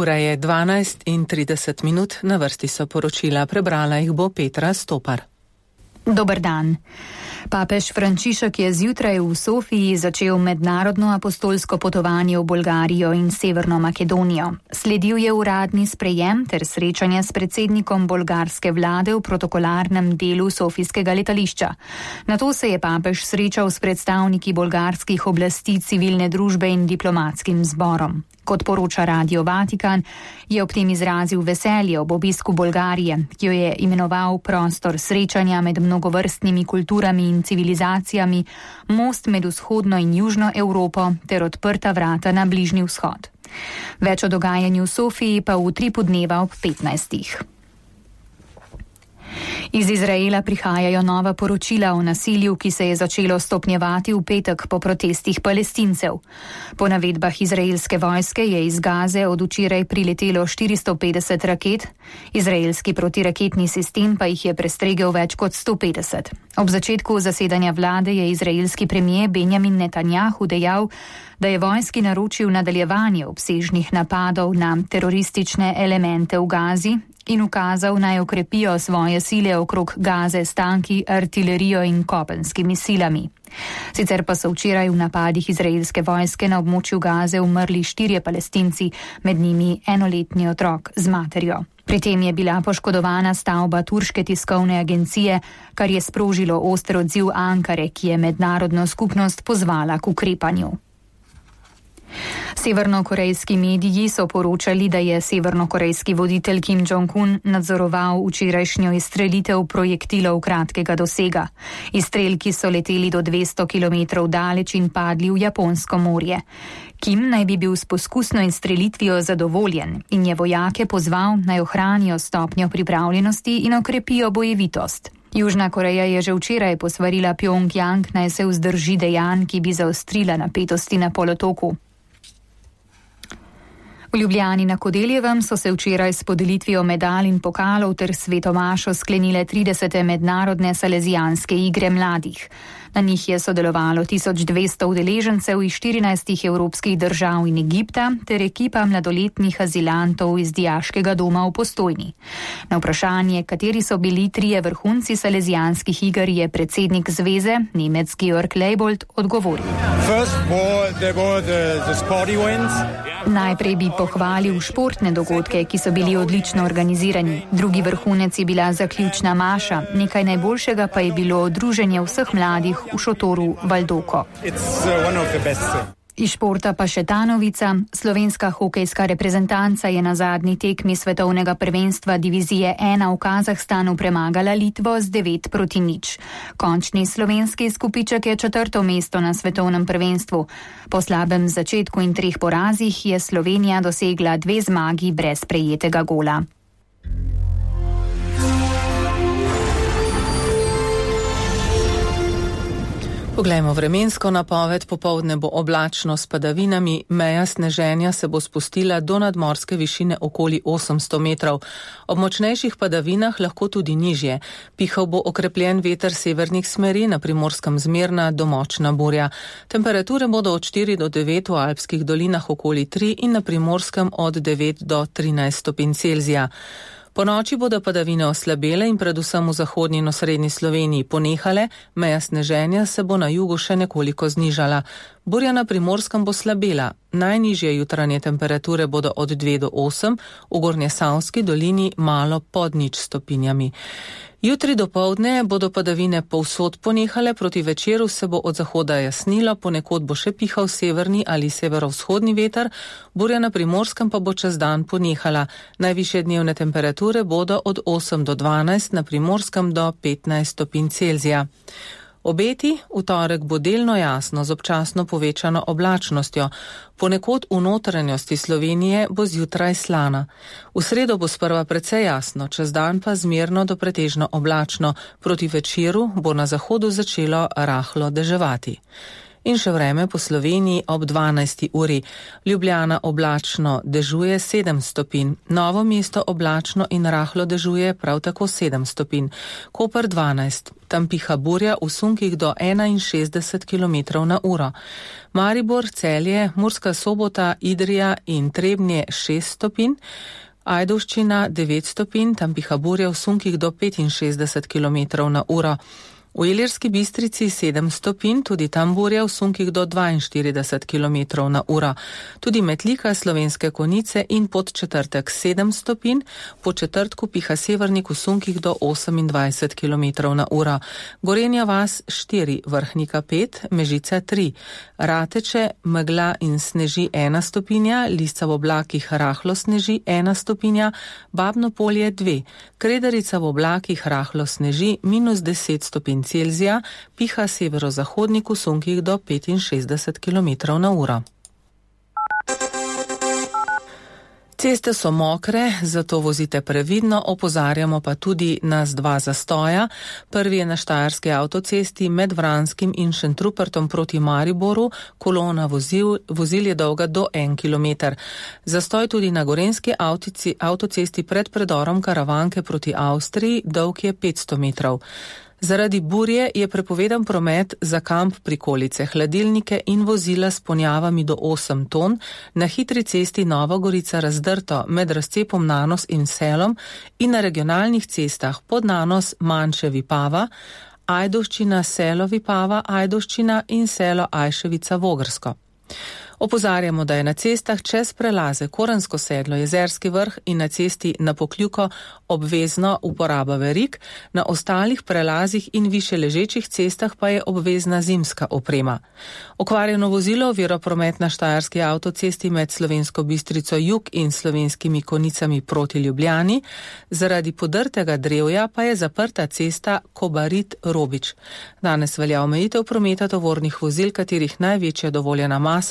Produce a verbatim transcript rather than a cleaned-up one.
Ura je dvanajst in trideset minut, na vrsti so poročila, prebrala jih bo Petra Stopar. Dober dan. Papež Frančišek je zjutraj v Sofiji začel mednarodno apostolsko potovanje v Bolgarijo in Severno Makedonijo. Sledil je uradni sprejem ter srečanje s predsednikom bolgarske vlade v protokolarnem delu sofijskega letališča. Nato se je papež srečal s predstavniki bolgarskih oblasti, civilne družbe in diplomatskim zborom. Kot poroča Radio Vatikan, je ob tem izrazil veselje ob obisku Bolgarije, ki jo je imenoval prostor srečanja med mnogovrstnimi kulturami in civilizacijami, most med vzhodno in južno Evropo ter odprta vrata na Bližnji vzhod. Več o dogajanju v Sofiji pa v utripu dneva ob petnajstih. Iz Izraela prihajajo nova poročila o nasilju, ki se je začelo stopnjevati v petek po protestih Palestincev. Po navedbah izraelske vojske je iz Gaze od včeraj priletelo štiristo petdeset raket, izraelski protiraketni sistem pa jih je prestregel več kot sto petdeset. Ob začetku zasedanja vlade je izraelski premier Benjamin Netanjahu dejal, da je vojski naročil nadaljevanje obsežnih napadov na teroristične elemente v Gazi in ukazal naj okrepijo svoje sile okrog Gaze s tanki, artilerijo in kopenskimi silami. Sicer pa so včeraj v napadih izraelske vojske na območju Gaze umrli štirje Palestinci, med njimi enoletni otrok z materjo. Pri tem je bila poškodovana stavba turške tiskovne agencije, kar je sprožilo oster odziv Ankare, ki je mednarodno skupnost pozvala k ukrepanju. Severnokorejski mediji so poročali, da je severnokorejski voditelj Kim Jong-un nadzoroval včerajšnjo izstrelitev projektilov kratkega dosega. Izstrelki so leteli do dvesto kilometrov daleč in padli v Japonsko morje. Kim naj bi bil s poskusno izstrelitvijo zadovoljen in je vojake pozval, naj ohranijo stopnjo pripravljenosti in okrepijo bojevitost. Južna Koreja je že včeraj posvarila Pjongjang, naj se vzdrži dejanj, ki bi zaostrila napetosti na polotoku. V Ljubljani na Kodeljevem so se včeraj s podelitvijo medalj in pokalov ter svetomašo sklenile tridesete mednarodne salezijanske igre mladih. Na njih je sodelovalo tisoč dvesto udeležencev iz štirinajstih evropskih držav in Egipta ter ekipa mladoletnih azilantov iz dijaškega doma v Postojni. Na vprašanje, kateri so bili trije vrhunci salezijanskih iger, je predsednik zveze, Nemec Georg Leibold, odgovoril. Najprej bi pohvalil športne dogodke, ki so bili odlično organizirani. Drugi vrhunec je bila zaključna maša, nekaj najboljšega pa je bilo druženje vseh mladih v šotoru Valdoko. Iz športa pa še ta novica. Slovenska hokejska reprezentanca je na zadnji tekmi svetovnega prvenstva divizije ena v Kazahstanu premagala Litvo z devet proti nič. Končni slovenski izkupiček je četrto mesto na svetovnem prvenstvu. Po slabem začetku in treh porazih je Slovenija dosegla dve zmagi brez prejetega gola. Poglejmo vremensko napoved. Popoldne bo oblačno s padavinami, meja sneženja se bo spustila do nadmorske višine okoli osemsto metrov. Ob močnejših padavinah lahko tudi nižje. Pihal bo okrepljen veter severnih smeri, na Primorskem zmerna do močna burja. Temperature bodo od štiri do devet, v alpskih dolinah okoli tri in na Primorskem od devet do trinajst stopinj Celzija. Po noči bodo padavine oslabele in predvsem v zahodnji in osrednji Sloveniji ponehale, meja sneženja se bo na jugu še nekoliko znižala. Burja na Primorskem bo slabela, najnižje jutranje temperature bodo od dve do osem, v Gornjesavski dolini malo pod nič stopinjami. Jutri dopoldne bodo padavine povsod ponehale, proti večeru se bo od zahoda jasnilo, ponekod bo še pihal severni ali severovzhodni veter, burja na Primorskem pa bo čez dan ponehala. Najvišje dnevne temperature bodo od osem do dvanajst, na Primorskem do petnajst stopinj Celzija. Obeti, v torek bo delno jasno z občasno povečano oblačnostjo. Ponekod v notranjosti Slovenije bo zjutraj slana. V sredo bo sprva precej jasno, čez dan pa zmerno do pretežno oblačno. Proti večeru bo na zahodu začelo rahlo deževati. In še vreme po Sloveniji ob dvanajsti uri. Ljubljana oblačno, dežuje sedem stopinj. Novo mesto oblačno in rahlo dežuje, prav tako sedem stopinj. Koper dvanajst. Tam piha burja v sunkih do enainšestdeset kilometrov na uro. Maribor, Celje, Murska Sobota, Idrija in Trebnje šest stopinj. Ajdovščina devet stopinj, tam piha burja v sunkih do petinšestdeset kilometrov na uro. V Ilirski Bistrici sedem stopinj, tudi tam burja v sunkih do dvainštirideset kilometrov na uro. Tudi Metlika, Slovenske Konjice in Podčetrtek sedem stopinj, po četrtku piha severnik v sunkih do osemindvajset kilometrov na uro. Gorenja vas štiri, Vrhnika pet, Mežica tri. Rateče, megla in sneži ena stopinja, Lisca v oblakih rahlo sneži ena stopinja, Babno Polje dve. Kredarica v oblakih rahlo sneži minus deset stopinj Celzija, piha severozahodnik v sunkih do petinšestdeset kilometrov na uro. Ceste so mokre, zato vozite previdno, opozarjamo pa tudi na dva zastoja. Prvi je na štajerski avtocesti med Vranskim in Šentrupertom proti Mariboru, kolona vozil, vozil je dolga do en kilometer. Zastoj tudi na gorenski avtici, avtocesti pred predorom Karavanke proti Avstriji, dolg je petsto metrov. Zaradi burje je prepovedan promet za kamp prikolice, hladilnike in vozila s ponjavami do osem ton na hitri cesti Nova Gorica Razdrto med razcepom Nanos in Selom in na regionalnih cestah pod Nanos Manjše Vipava, Ajdovščina Selo Vipava, Ajdovščina in Selo Ajševica Vogrsko. Opozarjamo, da je na cestah čez prelaze Koransko sedlo, Jezerski vrh in na cesti na Pokljuko obvezno uporaba verig, na ostalih prelazih in više ležečih cestah pa je obvezna zimska oprema. Okvarjeno vozilo ovira promet na štajerski avtocesti med Slovensko Bistrico jug in Slovenskimi Konjicami proti Ljubljani, zaradi podrtega drevja pa je zaprta cesta Kobarid-Robič. Danes velja omejitev prometa tovornih vozil, katerih največja dovoljena masa